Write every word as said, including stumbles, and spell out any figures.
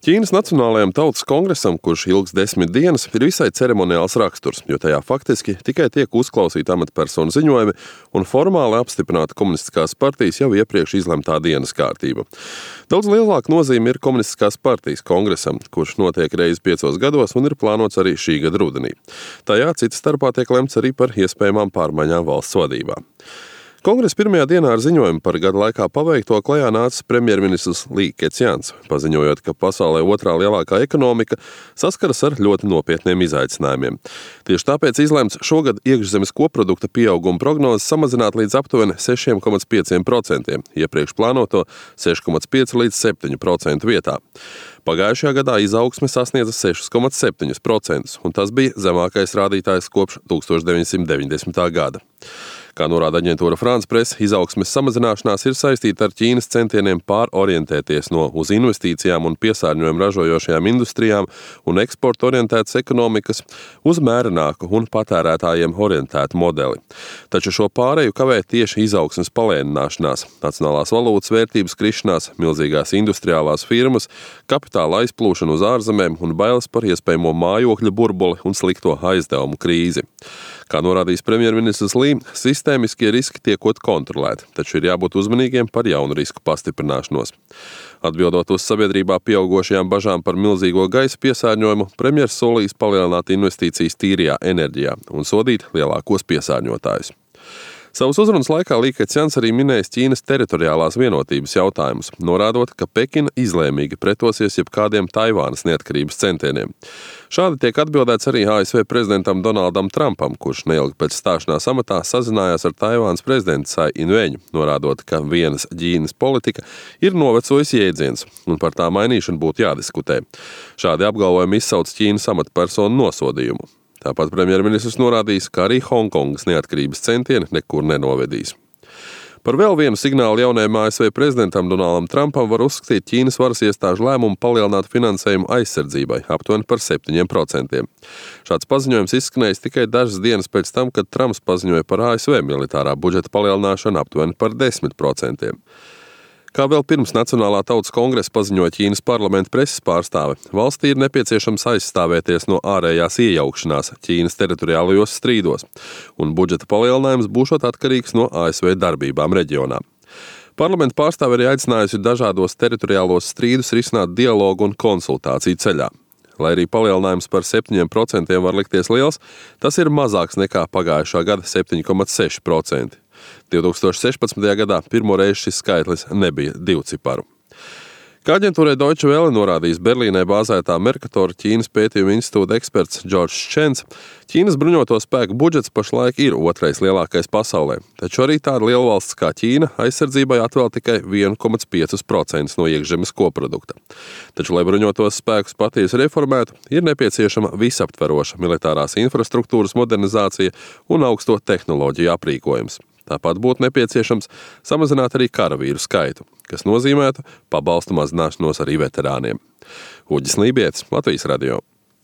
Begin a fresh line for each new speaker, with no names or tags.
Ķīnas Nacionālajam tautas kongresam, kurš ilgs desmit dienas, ir visai ceremoniāls raksturs, jo tajā faktiski tikai tiek uzklausīti amatpersonu ziņojumi un formāli apstiprināta komunistiskās partijas jau iepriekš izlemtā dienas kārtība. Daudz lielāka nozīme ir komunistiskās partijas kongresam, kurš notiek reizi piecos gados un ir plānots arī šī gada rudenī. Tajā cita starpā tiek lemts arī par iespējamām pārmaiņām valsts vadībā. Kongresa pirmajā dienā ar ziņojumu par gada laikā paveikto klajā nācis premjerministrs Lī Kecjans, paziņojot, ka pasaulē otrā lielākā ekonomika saskaras ar ļoti nopietniem izaicinājumiem. Tieši tāpēc izlemts šogad iekšzemes koprodukta pieauguma prognozes samazināt līdz aptuveni seši komats pieci procenti, iepriekš plānoto seši komats pieci līdz septiņi procenti vietā. Pagājušajā gadā izaugsme sasniedza seši komats septiņi procenti, un tas bija zemākais rādītājs kopš tūkstoš deviņsimt deviņdesmitā gada. Kā norāda aģentūra France Press, izaugsmes samazināšanās ir saistīta ar Ķīnas centieniem pārorientēties no uz investīcijām un piesārņojumu ražojošajām industrijām un eksporta orientētas ekonomikas uz mērenāku un patērētājiem orientētu modeli. Taču šo pāreju kavē tieši izaugsmes palēnināšanās, nacionālās valūtas vērtības krišanās, milzīgās industriālās firmas, kapitāla aizplūšana uz ārzemēm un bailes par iespējamo mājokļu burbuli un slikto aizdevumu krīzi. Kā norādījis premjerministrs Lī, sistēmiskie riski tiekot kontrolēti, taču ir jābūt uzmanīgiem par jaunu risku pastiprināšanos. Atbildot uz sabiedrībā pieaugošajām bažām par milzīgo gaisa piesārņojumu, premjers solījis palielināt investīcijas tīrajā enerģijā un sodīt lielākos piesārņotājus. Savas uzrunas laikā Lī Kecjans arī minējis Ķīnas teritoriālās vienotības jautājumus, norādot, ka Pekina izlēmīgi pretosies jebkādiem Taivānas neatkarības centieniem. Šādi tiek atbildēts arī A S V prezidentam Donaldam Trumpam, kurš neilgi pēc stāšanās amatā sazinājās ar Taivānas prezidentu Tsai Ing-veņu, norādot, ka vienas Ķīnas politika ir novecojis jēdziens un par tā mainīšanu būtu jādiskutē. Šādi apgalvojumi izsauc Ķīnas amatpersonu nosodījumu. Tāpat premjerministrs norādījis, ka arī Hongkongas neatkarības centieni nekur nenovedīs. Par vēl vienu signālu jaunajam A S V prezidentam Donaldam Trumpam var uzskatīt Ķīnas varas iestāžu lēmumu palielināt finansējumu aizsardzībai aptuveni par septiņiem procentiem. Šāds paziņojums izskanējis tikai dažas dienas pēc tam, kad Trumps paziņoja par A S V militārā budžeta palielināšanu aptuveni par desmit procentiem. Kā vēl pirms Nacionālā tautas kongresa paziņoja Ķīnas parlamenta preses pārstāve, valstī ir nepieciešams aizstāvēties no ārējās iejaukšanās Ķīnas teritoriālajos strīdos, un budžeta palielinājums būšot atkarīgs no A S V darbībām reģionā. Parlamenta pārstāve arī aicinājusi dažādos teritoriālos strīdus risināt dialogu un konsultāciju ceļā. Lai arī palielinājums par septiņiem procentiem var likties liels, tas ir mazāks nekā pagājušā gada septiņi komats seši procenti. divtūkstoš sešpadsmitajā gadā pirmo reizi šis skaitlis nebija divciparu. Kā aģentūrai Deutsche Welle norādījis Berlīnē bāzētā Mercator Ķīnas pētījuma institūta eksperts Džordžs Čens, Ķīnas bruņoto spēku budžets pašlaik ir otrais lielākais pasaulē, taču arī tāda lielvalsts kā Ķīna aizsardzībai atvēl tikai viens komats pieci procenti no iekšzemes koprodukta. Taču, lai bruņotos spēkus patiesi reformētu, ir nepieciešama visaptveroša militārās infrastruktūras modernizācija un augsto tehnoloģiju aprīkojums. Tāpat būtu nepieciešams samazināt arī karavīru skaitu, kas nozīmētu pabalstu mazināšanos arī veterāniem. Uģis Lībietis, Latvijas radio.